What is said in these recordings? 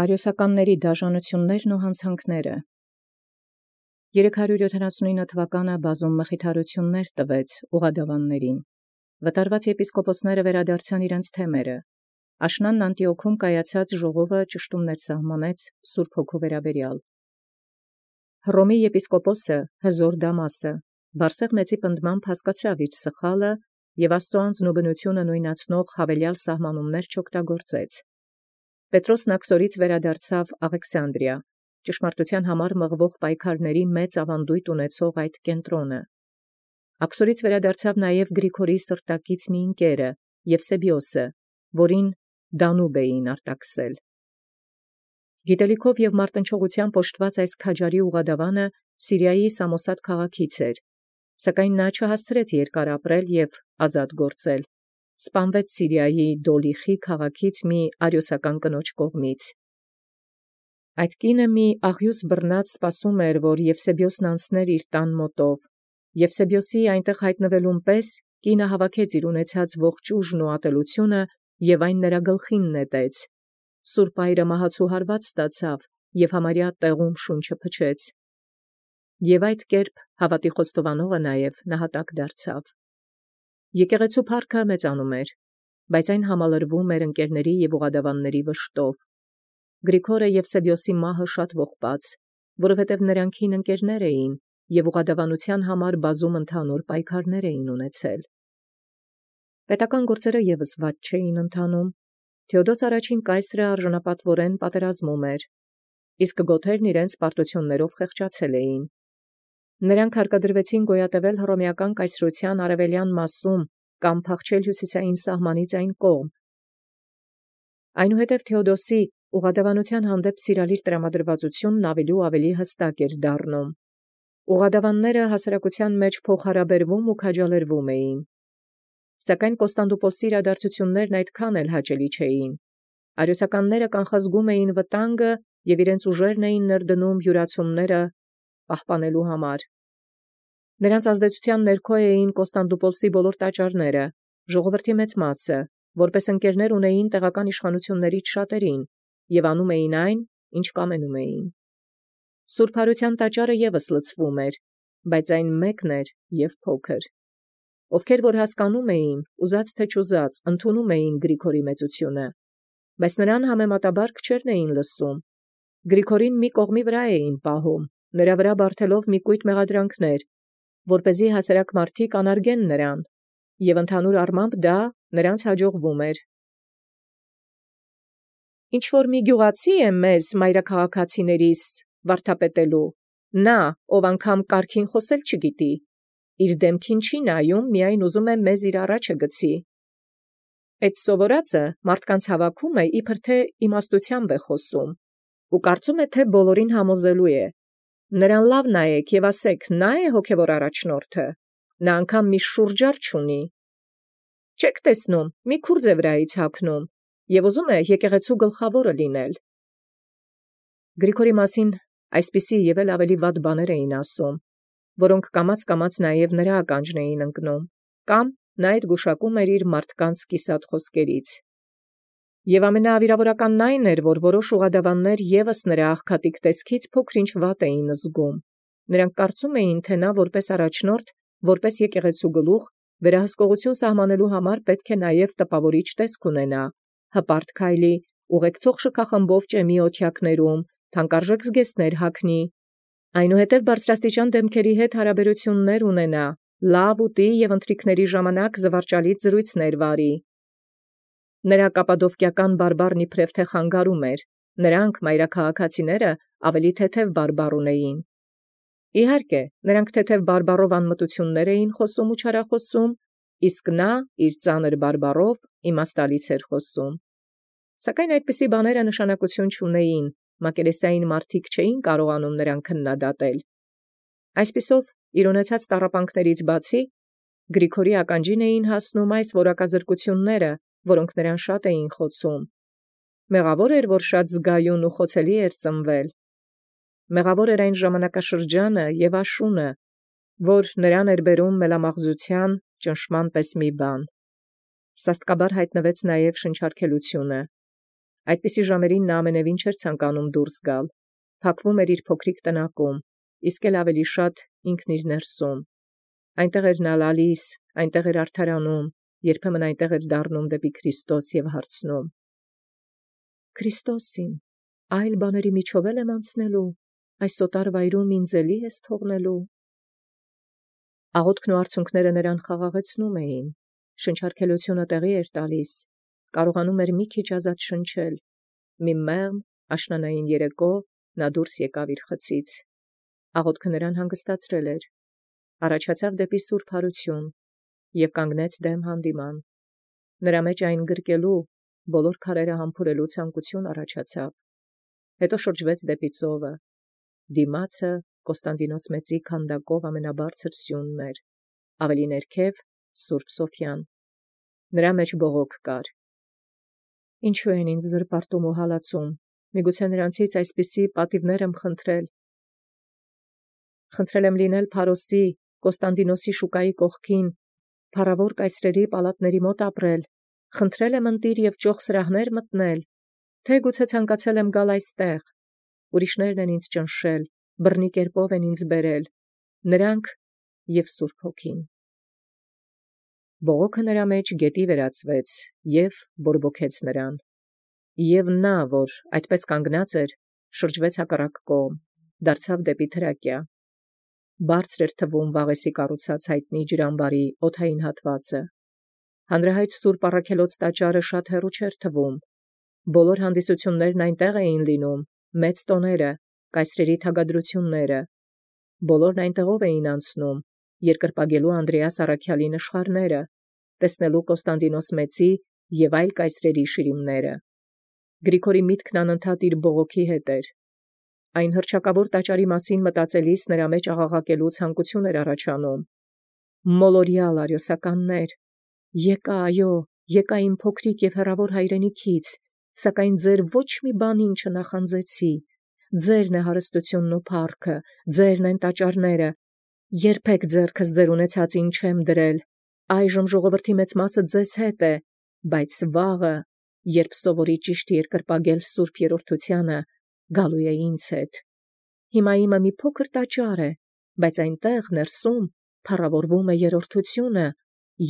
Արիոսականների դաժանություններն ու հանցանքները։ 379 թվականը բազում մխիթարություններ տվեց ուղադավաններին։ Վտարված եպիսկոպոսները վերադարձան իրենց թեմերը։ Աշնանն Անտիոքում կայացած ժողովը ճշտումներ սահմանեց Սուրբ Հոգու վերաբերյալ։ Հռոմի եպիսկոպոսը Հզոր Դամասը Բարսեղ մեծի պնդմամբ հասկացավ իր սխալը և Աստծո անձն ու բնությունը նույնացնող հավելյալ սահմանումներ չօգտագործեց։ Պետրոսն աքսորից վերադարձավ Աղեքսանդրիա, ճշմարտության համար մղվող պայքարների մեծ ավանդույթ ունեցող այդ կենտրոնը։ Աքսորից վերադարձավ նաև Գրիգորի սրտակից մի ընկերը Եվսեբիոսը, որին Դանուբ էին արտաքսել։ Գիտելիքով և մարտնչողությամբ օժտված այս քաջարի ուղադավանը Սիրիայի Սամոսատ քաղաքից էր, սակայն նա չհասցրեց երկար ապրել և ազատ գործել, սպանվեց Սիրիայի Դոլիխի քաղաքից մի արիոսական կնոջ կողմից։ Այդ կինը մի աղյուս բռնած սպասում էր, որ Եվսեբիոսն անցներ իր տան մոտով։ Եվսեբիոսի այնտեղ հայտնվելուն պես կինը հավաքեց իր ունեցած ողջ ուժն ու ատելությունը և այն նրա գլխին նետեց։ Սուրբ այրը մահացու հարված ստացավ և համարյա տեղում շունչը փչեց։ Եվ այդ կերպ հավատի խոստովանողը նաև նահատակ դարձավ։ Եկեղեցու փառքը մեծանում էր, բայց այն համալրվում էր ընկերների և ուղադավանների վշտով։ Գրիգորը Եվսեբիոսի մահը շատ ողբաց, որովհետև նրանք հին ընկերներ էին և ուղադավանության համար բազում ընդհանուր պայքարներ էին ունեցել։ Պետական գործերը ևս վատ չէին ընթանում։ Թեոդոս առաջին կայսրը արժանապատվորեն պատերազմում էր, իսկ գոթերն իրենց պարտություններով խեղճացել էին։ Նրանք հարկադրվեցին գոյատևել հռոմեական կայսրության արևելյան մասում կամ փախչել հյուսիսային սահմանից այն կողմ։ Այնուհետև Թեոդոսի ուղադավանության հանդեպ սիրալիր տրամադրվածությունն ավելի ու ավելի հստակ էր դառնում։ Ուղադավանները հասարակության մեջ փոխհարաբերվում ու քաջալերվում էին։ Սակայն Կոստանդնուպոլսի իրադարձություններն այդքան էլ հաճելի չէին։ Արիոսականները կանխազգում էին վտանգը և իրենց ուժերն էին ներդնում յուրացումները պահպանելու համար։ Նրանց ազդեցության ներքո էին Կոստանդնուպոլսի բոլոր տաճարները, ժողովրդի մեծ մասը, որպես ընկերներ ունեին տեղական իշխանություններից շատերին և անում էին այն, ինչ կամենում էին։ Սուրբ Հարության տաճարը ևս լցվում էր, բայց այն մեկն էր և փոքր։ Ովքեր որ հասկանում էին, ուզած թե չուզած, ընդունում էին Գրիգորի մեծությունը, բայց նրան համեմատաբար քչերն էին լսում։ Գրիգորին մի կողմի վրա էին պահում, նրա վրա բարդելով մի կույտ մեղադրանքներ, որպեսզի հասարակ մարդիկ անարգեն նրան, և ընդհանուր առմամբ դա նրանց հաջողվում էր։ Ինչ-որ մի գյուղացի է մեզ մայրաքաղաքացիներիս վարդապետելու, նա, ով անգամ կարգին խոսել չգիտի, իր դեմքին չի նայում, միայն ուզում է մեզ իր առաջը գցի։ Այդ սովորածը մարդկանց հավաքում է, իբր թե իմաստությամբ է խոսում, ու կարծում է, թե բոլորին համոզելու է։ Նրան լավ նայեք և ասեք, նա է հոգևոր առաջնորդը, նա անգամ մի շուրջար չունի։ Չեք տեսնում, մի քուրձ է վրայից հագնում և ուզում է եկեղեցու գլխավորը լինել։ Գրիգորի մասին այսպիսի և էլ ավելի վատ բաներ էին ասում, որոնք կամաց նաև նրա ականջն էին ընկնում, կամ նա այդ գուշակում էր իր մարդկանց կիսատ խոսքերից։ Եվ ամենավիրավորականն այն էր, որ որոշ ուղադավաններ ևս նրա աղքատիկ տեսքից փոքր-ինչ վատ էին զգում։ Նրանք կարծում էին, թե նա որպես առաջնորդ, որպես եկեղեցու գլուխ, վերահսկողություն սահմանելու համար պետք է նաև տպավորիչ տեսք ունենա, հպարտ քայլի, ուղեկցող շքախմբով ճեմի օթյակներում, թանկարժեք զգեստներ հագնի, այնուհետև բարձրաստիճան դեմքերի հետ հարաբերություններ ունենա, լավ ուտի և ընթրիքների ժամանակ զվարճալից զրույցներ վարի։ Նրա կապադովկիական բարբառն իբրև թե խանգարում էր, նրանք մայրաքաղաքացիները ավելի թեթև բարբառ ունեին։ Իհարկե, նրանք թեթև բարբառով անմտություններ էին խոսում ու չարախոսում, իսկ նա իր ծանր բարբառով իմաստալից էր խոսում։ Սակայն այդպիսի բաները նշանակություն չունեին, մակերեսային մարդիկ չէին կարողանում նրան քննադատել։ Այսպիսով, իր ունեցած տառապանքներից բացի, Գրիգորի ականջին էին հասնում այս որակազրկությունները, որոնք նրան շատ էին խոցում։ Մեղավոր էր, որ շատ զգայուն ու խոցելի էր ծնվել։ Մեղավոր էր այն ժամանակաշրջանը և աշունը, որ նրան էր բերում մելամաղձության ճնշման պես մի բան։ Սաստկաբար հայտնվեց նաև շնչարգելությունը։ Այդպիսի ժամերին նա ամենևին չէր ցանկանում դուրս գալ, փակվում էր իր փոքրիկ տնակում, իսկ էլ ավելի շատ ինքն իր ներսում։ Այնտեղ էր նա լալիս, այնտեղ էր արդարանում, երբեմն այնտեղ էր դառնում դեպի Քրիստոս և հարցնում. «Քրիստոսին, այլ բաների միջով էլ եմ անցնելու, այս սոտար վայրում ինձ էլի ես թողնելու»։ Աղոթքն ու արցունքները նրան խաղաղեցնում էին, շնչարգելությունը տեղի էր տալիս, կարողանում էր մի քիչ ազատ շնչել։ Մի մեղմ աշնանային երեկո նա դուրս եկավ իր խցից։ Աղոթքը նրան հանգստացրել էր, առաջացավ դեպի սուրբ հարություն և կանգնեց դեմ հանդիման։ Նրա մեջ այն գրկելու, բոլոր քարերը համբուրելու ցանկություն առաջացավ։ Հետո շրջվեց դեպի ծովը։ Դիմացը Կոստանդինոս մեծի քանդակով ամենաբարձր սյունն էր, ավելի ներքև Սուրբ Սոֆյան։ Նրա մեջ բողոք կար. «Ինչու են ինձ զրպարտում ու հալածում, միգուցե նրանցից այսպիսի պատիվներ եմ խնդրել։ Խնդրել եմ լինել Փարոսի, Կոստանդինոսի շուկայի կողքին, փառավոր կայսրերի պալատների մոտ ապրել, խնդրել եմ ընտիր և ճոխ սրահներ մտնել, թե գուցե ցանկացել եմ գալ այստեղ։ Ուրիշներն են ինձ ճնշել, բռնի կերպով են ինձ բերել, նրանք և Սուրբ Հոգին»։ Բողոքը նրա մեջ գետի վերածվեց և բորբոքեց նրան։ Եվ նա, որ այդպես կանգնած էր, շրջվեց հակառակ կողմ, դարձավ դեպի Թրակիա։ Բարձր էր թվում Վաղեսի կառուցած հայտնի ջրամբարի օդային հատվածը։ Հանրահայտ Սուրբ Առաքելոց տաճարը շատ հեռու չէր թվում։ Բոլոր հանդիսություններն այնտեղ էին լինում, մեծ տոները, կայսրերի թագադրությունները։ Բոլորն այնտեղով էին անցնում, երկրպագելու Անդրեաս առաքյալի նշխարները, տեսնելու Կոստանդինոս մեծի և այլ կայսրերի շիրիմները։ Գրիգորի միտքն անընդհատ իր բողոքի հետ էր։ Այն հռչակավոր տաճարի մասին մտածելիս նրա մեջ աղաղակելու ցանկություն էր առաջանում. «Մոլորյալ արիոսականներ, եկա, այո, եկա իմ փոքրիկ և հեռավոր հայրենիքից, սակայն ձեր ոչ մի բանին չնախանձեցի։ Ձերն է հարստությունն ու փառքը, ձերն են տաճարները։ Երբեք ձեռքս ձեր ունեցածին չեմ դրել։ Այժմ ժողովրդի մեծ մասը ձեզ հետ է, բայց վաղը, երբ սովորի ճիշտ երկրպագել Սուրբ Երրորդությանը, գալու է ինձ հետ։ Հիմա իմը մի փոքր տաճար է, բայց այնտեղ ներսում փառավորվում է Երրորդությունը,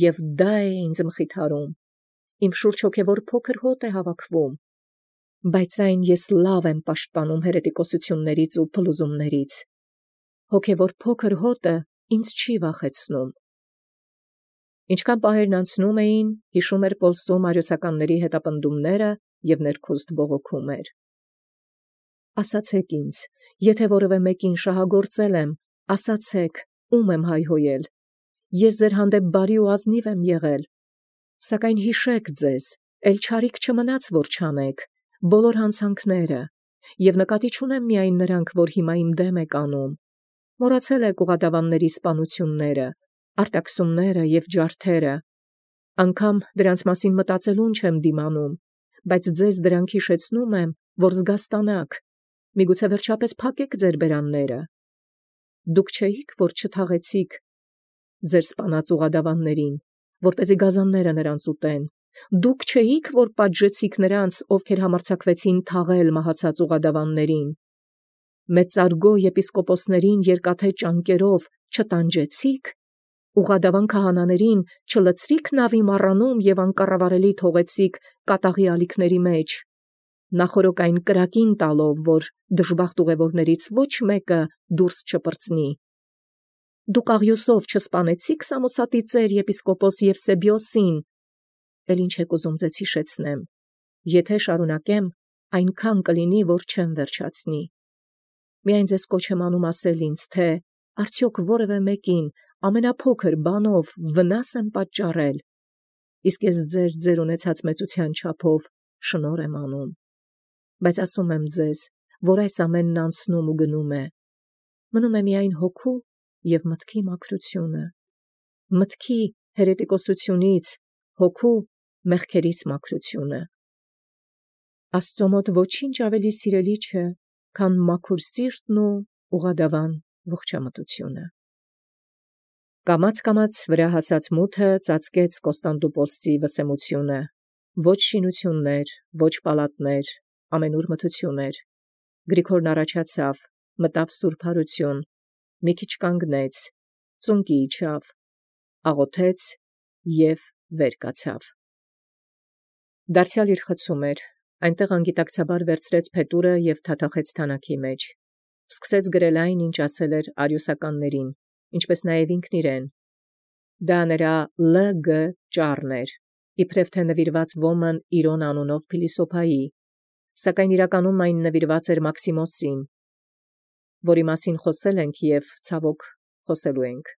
և դա է ինձ մխիթարում։ Իմ շուրջ հոգևոր փոքր հոտ է հավաքվում, բայց այն ես լավ եմ պաշտպանում հերետիկոսություններից ու փլուզումներից։ Հոգևոր փոքր հոտը ինձ չի վախեցնում»։ Ինչքան պահերն անցնում էին, հիշում էր Պոլսում արիոսականների հետապնդումները և ներքուստ բողոքում էր. «Ասացեք ինձ, եթե որևէ մեկին շահագործել եմ, ասացեք, ում եմ հայհոյել։ Ես ձեր հանդեպ բարի ու ազնիվ եմ եղել, սակայն հիշեք ձեզ, էլ չարիք չմնաց, որ չանեք, բոլոր հանցանքները, և նկատի չունեմ միայն նրանք, որ հիմա իմ դեմ եք անում։ Մոռացել եք ուղղադավանների սպանությունները, արտաքսումները և ջարդերը։ Անգամ դրանց մասին մտածելուն չեմ դիմանում, բայց ձեզ դրանք հիշեցնում եմ, որ զգաստանաք, միգուցե վերջապես փակեք ձեր բերանները։ Դուք չէիք, որ չթաղեցիք ձեր սպանած ուղղադավաններին, որպեսզի գազանները նրանց ուտեն։ Դուք չէիք, որ պատժեցիք նրանց, ովքեր համարձակվեցին թաղել մահացած ուղղադավաններին։ Մեծարգո եպիսկոպոսներին երկաթե ճանկերով չտանջեցիք, ուղղադավան քահանաներին չլցրիք նավի մառանում և անկառավարելի թողեցիք կատաղի ալիքների մեջ, նախօրոք այն կրակին տալով, որ դժբախտ ուղևորներից ոչ մեկը դուրս չպրծնի։ Դուք աղյուսով չսպանեցիք Սամոսատի ծեր եպիսկոպոս Եվսեբիոսին։ Էլ ինչ եք ուզում ձեզ հիշեցնեմ։ Եթե շարունակեմ, այնքան կլինի, որ չեմ վերջացնի։ Միայն ձեզ կոչ եմ անում ասել ինձ, թե արդյոք որևէ մեկին ամենափոքր բանով վնաս եմ պատճառել, իսկ ես ձեր ունեցած մեծության չափով շնորհ եմ անում։ Բայց ասում եմ ձեզ, որ այս ամենն անցնում ու գնում է։ Մնում է միայն հոգու և մտքի մաքրությունը, մտքի հերետիկոսությունից, հոգու մեղքերից մաքրությունը։ Աստծո մոտ ոչինչ ավելի սիրելի չէ, քան մաքուր սիրտն ու ուղղադավան ողջամտությունը։ Կամաց-կամաց վրա հասած մութը ծածկեց Կոստանդնուպոլսի վսեմությունը, Ոչ շինություններ, ոչ պալատներ, ամենուր մթություն էր։ Գրիգորն առաջացավ, մտավ սուրբ հարություն, մի քիչ կանգնեց, ծունկի իջավ, աղոթեց և վեր կացավ։ Դարձյալ իր խցում էր, այնտեղ անգիտակցաբար վերցրեց փետուրը և թաթախեց թանաքի մեջ, սկսեց գրել այն, ինչ ասել էր արիոսականներին, ինչպես նաև ինքն իրեն։ Դա նրա L.G. ճառն էր, իբրև թե նվիրված ոմն Իրոն անունով փիլիսոփայի, սակայն իրականում այն նվիրված էր Մաքսիմոսին, որի մասին խոսել ենք և ցավոք խոսելու ենք։